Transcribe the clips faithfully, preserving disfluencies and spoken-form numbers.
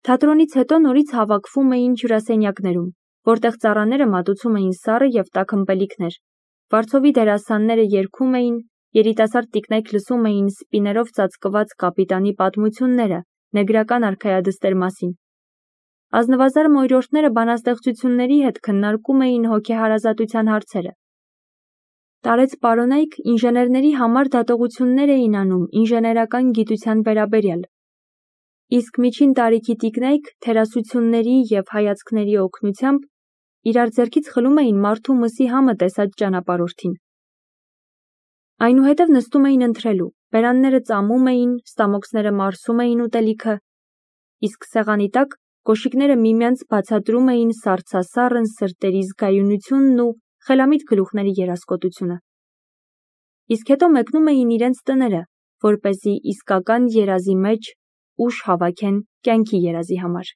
Թատրոնից հետո նորից հավաքվում էին հյուրասենյակներում, որտեղ ծառաները մատուցում էին սառը և տաք ըմպելիքներ, վարձովի դերասանները երգում էին, երիտասարդ տիկնայք լսում էին սպիներով ծածկված կապիտանի պատմությունները նեգրական արքայադստեր մասին։ Ազնվազար մորյորդները բանաստեղծությունների հետ քննարկում էին հոգեհարազատության հարցերը։ Տարեց պարոնայք ինժեներների համար դատողություններ էին անում ինժեներական գիտության վերաբերյալ, իսկ միջին տարիքի տիկնայք թերասությունների և հայացքների օգնությամբ իրար ձեռքից խլում էին մարդու մսի համը տեսած ճանապարհորդին։ Այնուհետև նստում էին ընթրելու, բերանները ծամում էին, ստամոքսները մարսում էին ուտելիքը, իսկ սեղանի տակ կոշիկները միմյանց բացատրում էին սառցասառն սրտերի զգայունությունն ու խելամիտ գլուխների երազկոտությունը։ Իսկ հետո մեկնում էին իրենց տները, որպեսզի իսկական երազի մեջ ուժ հավաքեն կյանքի երազի համար։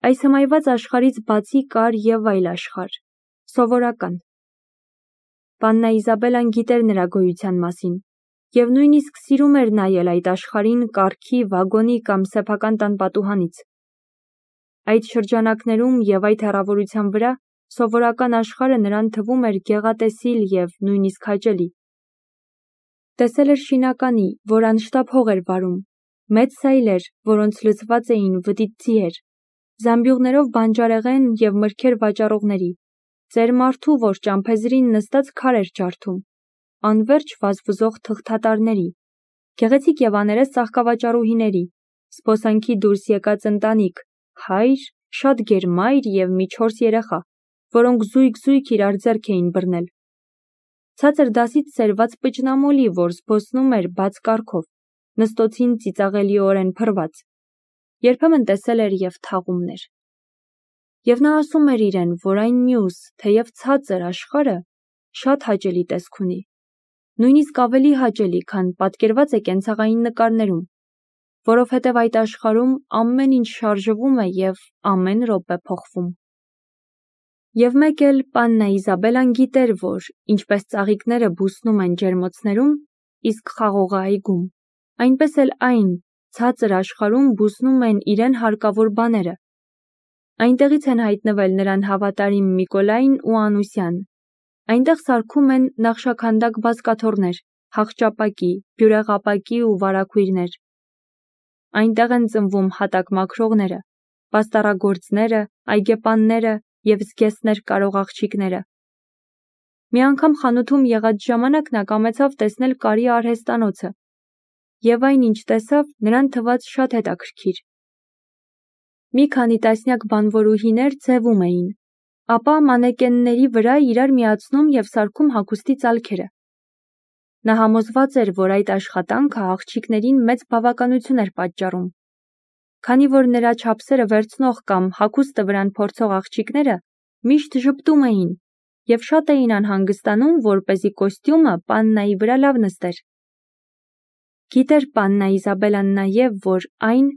Այս հմայված աշխարհից բացի կար և այլ աշխարհ, սովորական։ Պաննա Իզաբելլան գիտեր նրա գոյության մասին և նույնիսկ սիրում էր նայել այդ աշխարհին կառքի, վագոնի կամ սեփական տան պատուհանից։ Այդ շրջանակներում և այդ հեռավորության վրա սովորական աշխարհը նրան թվում էր գեղատեսիլ և նույնիսկ հաճելի։ Տեսել էր շինականի, որ անշտապ հող էր վարում, մեծ սայլեր, որոնց լցված էին վտիտ ձիեր, զամբյուղներով բանջարեղեն և մրգեր վաճառողների, ծեր մարդու, որ ճամփեզրին նստած քար էր ջարդում, անվերջ վազվզող թղթատարների, գեղեցիկ և աներես ծաղկավաճառուհիների, զբոսանքի դուրս եկած ընտանիք, հայր, շատ գերմայր և մի չորս երեխա, որոնք զույգ-զույգ իրար ձեռք էին բռնել։ Ցածր դասից սերված պճնամոլի, որ զբոսնում էր բաց կառքով, նստոցին ծիծաղելիորեն փռված, երբեմն տեսել էր և թաղումներ։ Եվ նա ասում էր իրեն, որ այն մյուս, թեև ցածր աշխարհը շատ հաճելի տեսք ունի, նույնիսկ ավելի հաճելի, քան պատկերված է կենցաղային նկարներում, որովհետև այդ աշխարհում ամեն ինչ շարժվում է և ամեն րոպե փոխվում։ Եվ մեկ էլ պաննա Իզաբելլան գիտեր, որ ինչպես ծաղիկները բուսնում են ջերմոցներում, իսկ խաղողը այգում, այնպես էլ այն ցածր աշխարհում բուսնում են իրեն հարկավոր բաները։ Այնտեղից են հայտնվել նրան հավատարիմ Միկոլայն ու Անուսյան, այնտեղ սարքում են նախշաքանդակ բազկաթոռներ, հախճապակի, բյուրեղապակի ու վարագույրներ։ Այնտեղ են ծնվում հատակ մաքրողները, պաստառագործները, այգեպանները և զգեստներ կարող աղջիկները։ Մի անգամ խանութում եղած ժամանակ նա կամեցավ տեսնել կարի արհեստանոցը, և այն, ինչ տեսավ, նրան թվաց շատ հետաքրքիր։ Մի քանի տասնյակ բանվորուհիներ ձևում էին, ապա մանեկենների վրա իրար միացնում և սարքում հագուստի ծալքերը։ Նա համոզված էր, որ այդ աշխատանքը աղջիկներին մեծ բավականություն էր պատճառում, քանի որ նրա չափսերը վերցնող կամ հագուստը վրան փորձող աղջիկները միշտ ժպտում էին և շատ էին անհանգստանում, որպեսզի կոստյումը պաննայի վրա լավ նստեր։ Գիտեր պաննա Իզաբելլան նաև, որ այն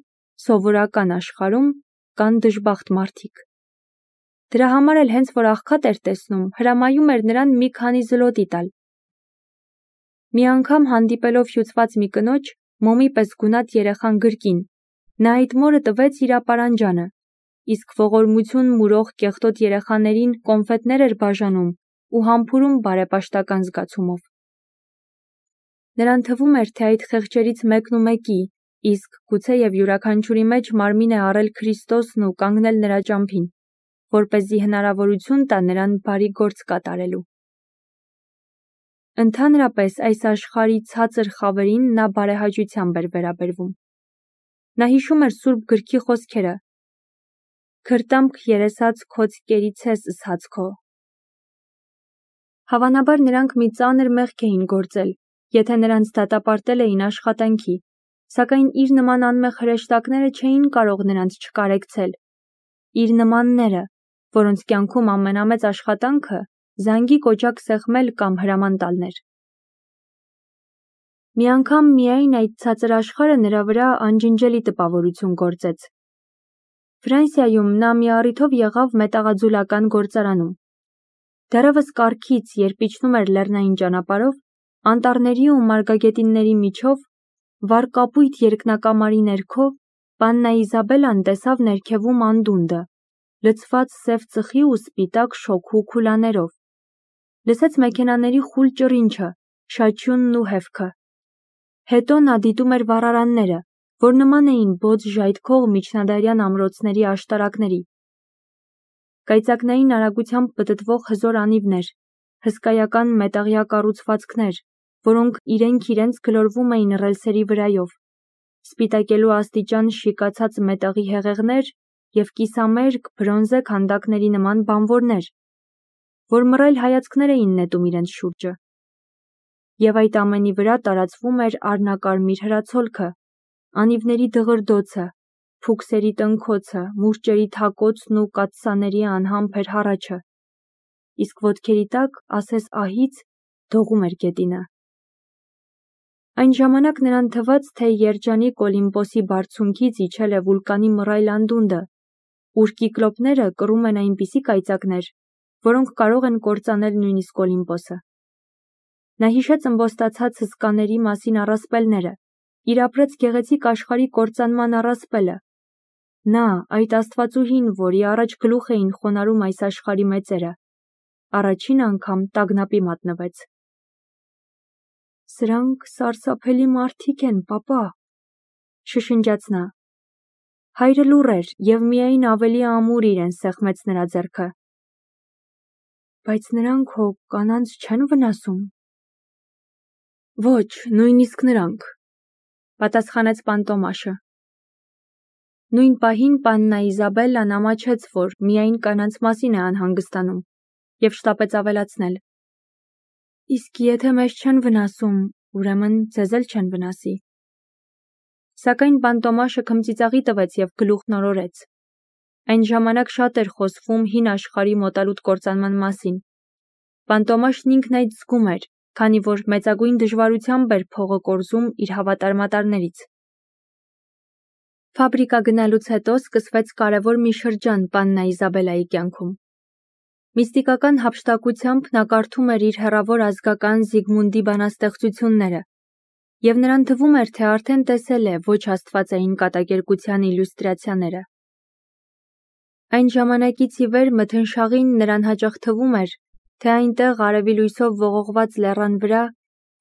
սովորական աշխարհում կան դժբախտ մարդիկ։ Դրա համար էլ հենց որ աղքատ էր տեսնում, հրամայում էր նրան մի քանի զլոտի տալ։ Մի անգամ հանդիպելով հյուծված մի կնոջ, մոմի պես գունատ երեխան գրկին, նա այդ մորը տվեց իր ապարանջանը, իսկ ողորմություն մուրող կեղտոտ երեխաներին կոնֆետներ էր բաժանում ու համբուրում բարեպաշտական զգացումով։ Նրան թվում էր, թե այդ խեղճերից մեկնումեկի, իսկ գուցեև յուրաքանչյուրի մեջ մարմին է առել Քրիստոսն ու կանգնել նրա ճամփին, որպեսզի հնարավորություն տա նրան բարի գործ կատարելու։ Ընդհանրապես այս աշխարհի ցածր խավերին նա բարեհաճությամբ էր վերաբերվում։ Նա հիշում էր Սուրբ Գրքի խոսքերը. «Քրտամք երեսաց քոց կերիցես ըսած քո»։ Հավանաբար նրանք մի ծանր մեղք էին գործել, եթե նրանց դատապարտել էին աշխատանքի, սակայն իր նման անմեղ հրեշտակները չէին կարող նրանց չկարեկցել։ Իր նմանները, որոնց կյանքում ամենամեծ աշխատանքը զանգի կոճակ սեղմել կամ հրաման տալն էր։ Մի անգամ միայն այդ ցածր աշխարհը նրա վրա անջնջելի տպավորություն գործեց։ Ֆրանսիայում նա մի առիթով եղավ մետաղաձուլական գործարանում։ Դեռևս կառքից, երբ իջնում էր լեռնային ճանապարհով, անտառների ու մարգագետինների միջով, վառ կապույտ երկնակամարի ներքո, Պաննա Իզաբելլան տեսավ ներքևում անդունդը, լցված սև ծխի ու սպիտակ շոգու քուլաներով։ Լսեց մեքենաների խուլ ճռինչը, շաչյունն ու հևքը։ Հետո նա դիտում էր վառարանները, որ նման էին բոծ ժայթքող միջնադարյան ամրոցների աշտարակների։ Կայծակնային արագությամբ պտտվող հզոր անիվներ, հսկայական մետաղյա կառուցվածքներ, որոնք իրենք իրենց գլորվում էին ռելսերի վրայով, սպիտակելու աստիճան շիկացած մետաղի հեղեղներ և կիսամերկ բրոնզե քանդակների նման բանվորներ, որ մռայլ հայացքներ էին նետում իրենց շուրջը։ Եվ այդ ամենի վրա տարածվում էր առնակարմիր հրացոլքը, անիվների դղրդոցը, փուքսերի տնքոցը, մուրճերի թակոցն ու կաթսաների անհամբեր հառաչը, իսկ ոտքերի տակ, ասես ահից, դողում էր գետինը։ Այն ժամանակ նրան թվաց, թե երջանիկ Օլիմպոսի բարձունքից իջել է վուլկանի մռայլ անդունդը, ուր կիկլոպները կռում են այնպիսի կայծակներ, որոնք կարող են կործանել նույնիսկ Օլիմպոսը։ Նա հիշեց ըմբոստացած հսկաների մասին առասպելները, իր ապրած գեղեցիկ աշխարհի կործանման առասպելը։ Նա, այդ աստվածուհին, որի առաջ գլուխ էին խոնարհում այս աշխարհի մեծերը, առաջին անգամ տագնապի մատնվեց։ «Սրանք սարսափելի մարդիկ են, պապա», շշնջաց նա։ Հայրը լուռ էր և միայն ավելի ամուր իրեն սեղմեց նրա ձեռքը։ «Բայց նրանք հո կանանց չեն վնասում»։ «Ոչ, նույնիսկ նրանք», պատասխանեց Պանտոմաշը։ Նույն պահին Պաննա Իզաբելլան ամաչեց, որ միայն կանանց մասին է անհանգստանում, և շտապեց ավելացնել. «Իսկ եթե մեզ չեն վնասում, ուրեմն ձեզ էլ չեն վնասի»։ Սակայն Պանտոմաշը քմծիծաղի տվեց և գլուխն օրորեց։ Այն ժամանակ շատ էր խոսվում հին աշխարհի մոտալուտ կործանման մասին։ Պանտոմաշն ինքն այդ զգում էր, քանի որ մեծագույն դժվարությամբ էր փողը կորզում իր հավատարմատարներից։ Ֆաբրիկա գնալուց հետո սկսվեց կարևոր մի շրջան Պաննա Իզաբելլայի կյանքում։ Միստիկական հափշտակությամբ նա կարդում էր իր հեռավոր ազգական Զիգմունդի բանաստեղծությունները, և նրան թվում էր, թե արդեն տեսել է ոչ աստվածային կատակերգության իլյուստրացիաները։ Այն ժամանակից ի վեր մթնշաղին նրան հաճախ թվում էր, թե այնտեղ արևի լույսով ողողված լեռան վրա,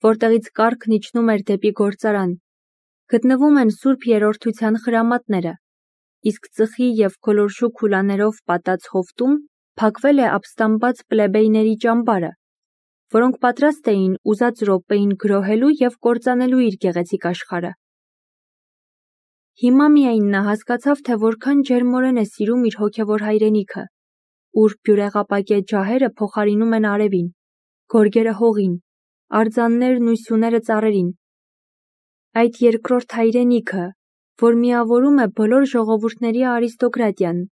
որտեղից կառքն իջնում էր դեպի գործարան, գտնվում են Սուրբ Երրորդության խրամատները, իսկ ծխի և գոլորշու քուլաներով պատած հովտում փակվել է ապստամբած պլեբեյների ճամբարը, որոնք պատրաստ էին ուզած րոպեին գրոհելու և կործանելու իր գեղեցիկ աշխարհը։ Հիմա միայն նա հասկացավ, թե որքան ջերմորեն է սիրում իր հոգևոր հայրենիքը, ուր բյուրեղապակե ջահերը փոխարինում են արևին, գորգերը հողին, արձաններն ու սյուները ծառերին։ Այդ երկրորդ հայրենիքը, որ միավորում է բոլոր ժողովուրդների արիստոկրատիան,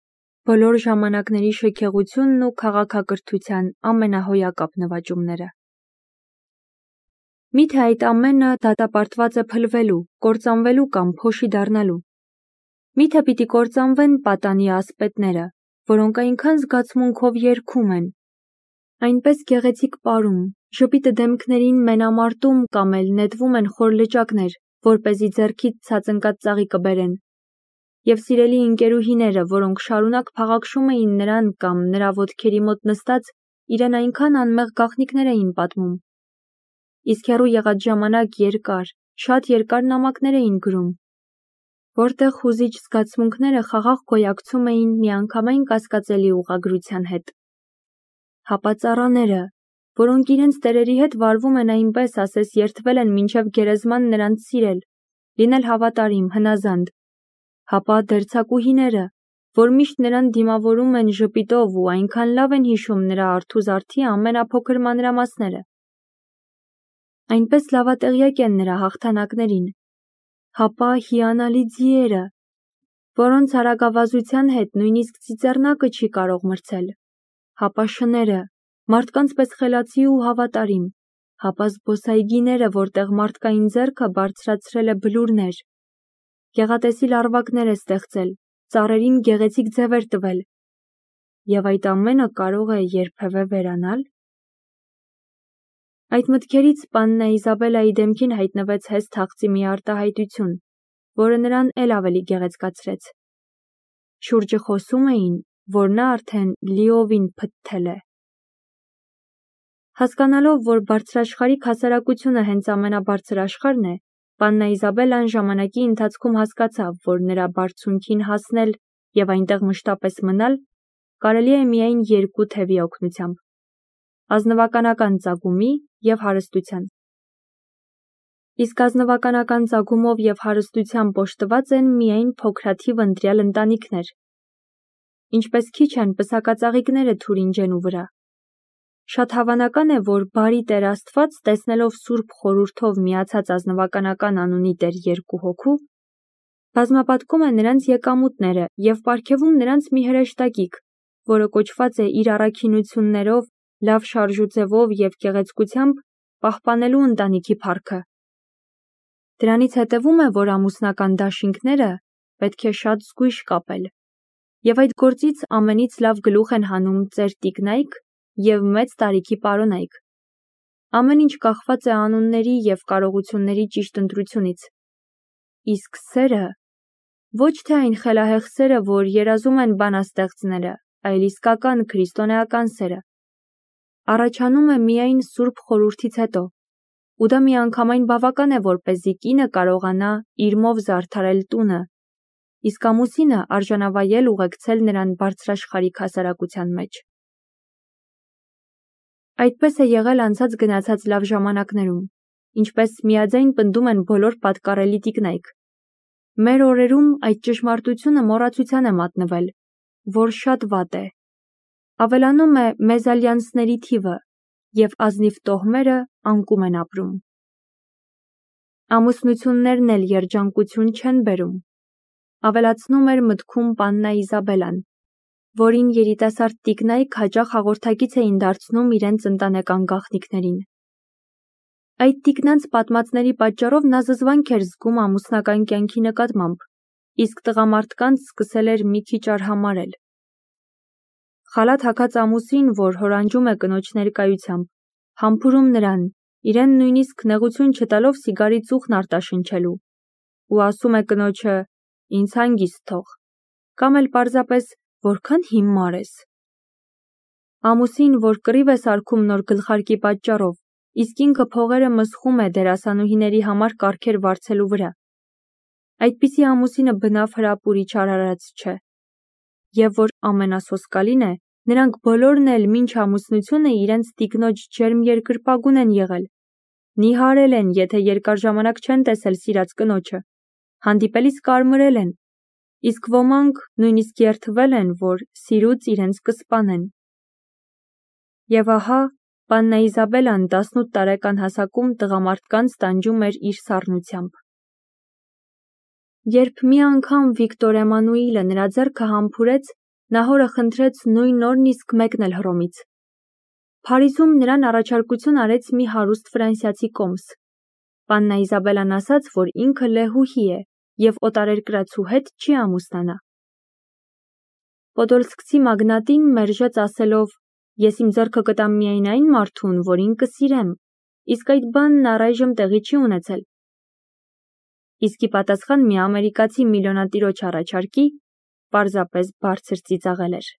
բոլոր ժամանակների շքեղությունն ու քաղաքակրթության ամենահոյակապ նվաճումները։ Միթե այդ ամենը դատապարտված է փլվելու, կործանվելու կամ փոշի դառնալու։ Միթե պիտի կործանվեն պատանի ասպետները, որոնք այնքան զգացմունքով երգում են, այնպես գեղեցիկ պարում, ժպիտը դեմքներին մենամարտում կամ էլ նետվում են խոր լճակներ, որպեսզի ձեռքից ցած ընկած ծաղիկը բերեն, և սիրելի ընկերուհիները, որոնք շարունակ փաղաքշում էին նրան կամ նրա ոտքերի մոտ նստած, իրեն այնքան անմեղ գաղտնիքներ էին պատմում, իսկ հեռու եղած ժամանակ երկար, շատ երկար նամակներ էին գրում, որտեղ հուզիչ զգացմունքները խաղաղ գոյակցում էին միանգամայն կասկածելի ուղղագրության հետ։ Հապա ծառաները, որոնք իրենց տերերի հետ վարվում են այնպես, ասես երդվել են մինչև գերեզման նրանց սիրել, լինել հավատարիմ, հնազանդ, հապա դերձակուհիները, որ միշտ նրան դիմավորում են ժպիտով ու այնքան լավ են հիշում նրա արթուզարդի ամենափոքր մանրամասները, այնպես լավատեղյակ են նրա հաղթանակներին, հապա հիանալի ձիերը, որոնց արագավազության հետ նույնիսկ ծիծեռնակը չի կարող մրցել, հապա շները, մարդկանց պես խելացի ու հավատարիմ, հապա զբոսայգիները, որտեղ մարդկային ձեռքը բարձրացրել է բլուրներ, գեղատեսիլ առվակներ է ստեղծել, ծառերին գեղեցիկ ձևեր տվել, և այդ ամենը կարող է երբևէ վերանալ։ Այդ մտքերից Պաննա Իզաբելլայի դեմքին հայտնվեց հեսթ հաղձի մի արտահայտություն, որը նրան էլ ավելի գեղեցկացրեց։ Շուրջը խոսում էին, որ նա արդեն լիովին փթթել է։ Հասկանալով, որ բարձրաշխարհիկ հասարակությունը հենց ամենաբարձր աշխարհն է, պաննա Իզաբելլան ժամանակի ընթացքում հասկացավ, որ նրա բարձունքին հասնել և այնտեղ մշտապես մնալ կարելի է միայն երկու թևի օգնությամբ՝ ազնվականական ծագումի և հարստության։ Իսկ ազնվականական ծագումով և հարստությամբ օժտված են միայն փոքրաթիվ ընտրյալ ընտանիքներ։ Ինչպես քիչ են պսակածաղիկները թուրինջենու վրա։ Շատ հավանական է, որ բարի Տեր Աստված, տեսնելով Սուրբ Խորհուրդով միացած ազնվականական անունի տեր երկու հոգու, բազմապատկում է նրանց եկամուտները և պարգևում նրանց մի հրեշտակիկ, որը կոչված է իր առաքինություններով, լավ շարժուձևով և գեղեցկությամբ պահպանելու ընտանիքի փառքը։ Դրանից հետևում է, որ ամուսնական դաշինքները պետք է շատ զգույշ կապել, և այդ գործից ամենից լավ գլուխ են հանում ծեր տիկնայք և մեծ տարիքի պարոնայք։ Ամեն ինչ կախված է անունների և կարողությունների ճիշտ ընտրությունից։ Իսկ սերը, ոչ թե այն խելահեղ սերը, որ երազում են բանաստեղծները, այլ իսկական քրիստոնեական սերը, առաջանում է միայն Սուրբ Խորհրդից հետո, ու դա միանգամայն բավական է, որպեսզի կինը կարողանա իրմով զարդարել տունը, իսկ ամուսինը արժանավայել ուղեկցել նրան բարձրաշխարհիկ հասարակության մեջ։ Այդպես է եղել անցած գնացած լավ ժամանակներում, ինչպես միաձայն պնդում են բոլոր պատկառելի տիկնայք։ Մեր օրերում այդ ճշմարտությունը մոռացության է մատնվել, որ շատ վատ է։ Ավելանում է մեզալյանսների թիվը, և ազնիվ տոհմերը անկում են ապրում։ Ամուսնություններն էլ երջանկություն չեն բերում, ավելացնում էր մտքում պաննա Իզաբելլան, որին երիտասարդ տիկնայք հաճախ հաղորդակից էին դարձնում իրենց ընտանեկան գաղտնիքներին։ Այդ տիկնանց պատմածների պատճառով նա զզվանք էր զգում ամուսնական կյանքի նկատմամբ, իսկ տղամարդկանց սկսել էր մի քիչ արհամարհել։ Խալաթ հագած ամուսին, որ հորանջում է կնոջ ներկայությամբ, համբուրում նրան, իրեն նույնիսկ նեղություն չտալով սիգարի ծուխն արտաշնչելու, ու ասում է կնոջը «ինձ հանգիստ թող», կամ էլ պարզապես «որքան հիմար ես»։ Ամուսին, որ կռիվ է սարքում նոր գլխարկի պատճառով, իսկ ինքը փողերը մսխում է դերասանուհիների համար կարգեր վարձելու վրա։ Այդպիսի ամուսինը բնավ հրապուրիչ արարած չէ։ Եվ որ ամենասոսկալին է, նրանք բոլորն էլ մինչ ամուսնությունը իրենց տիկնոջ ջերմ երկրպագուն են եղել, նիհարել են, եթե երկար ժամանակ չեն տեսել սիրած կնոջը, հանդիպելիս կարմրել են, իսկ ոմանք նույնիսկ երդվել են, որ սիրուց իրենց կսպանեն։ Եվ ահա, պաննա Իզաբելլան տասնութ տարեկան հասակում տղամարդկանց տանջում էր իր սառնությամբ։ Երբ մի անգամ Վիկտոր Էմանուիլը նրա ձեռքը համբուրեց, նա հորը խնդրեց նույն օրն իսկ մեկնել Հռոմից։ Փարիզում նրան առաջարկություն արեց մի հարուստ ֆրանսիացի կոմս։ Պաննա Իզաբելլան ասաց, որ ինքը լեհուհի է և օտարերկրացու հետ չի ամուսնանա։ Պոդոլսկցի մագնատին մերժեց ասելով. «Ես իմ ձեռքը կտամ միայն այն մարդուն, որին կսիրեմ, իսկ այդ բանն առայժմ տեղի չի ունեցել»։ Իսկ ի պատասխան մի ամերիկացի միլիոնատիրոջ առաջարկի, պարզապես բարձր ծիծաղել էր։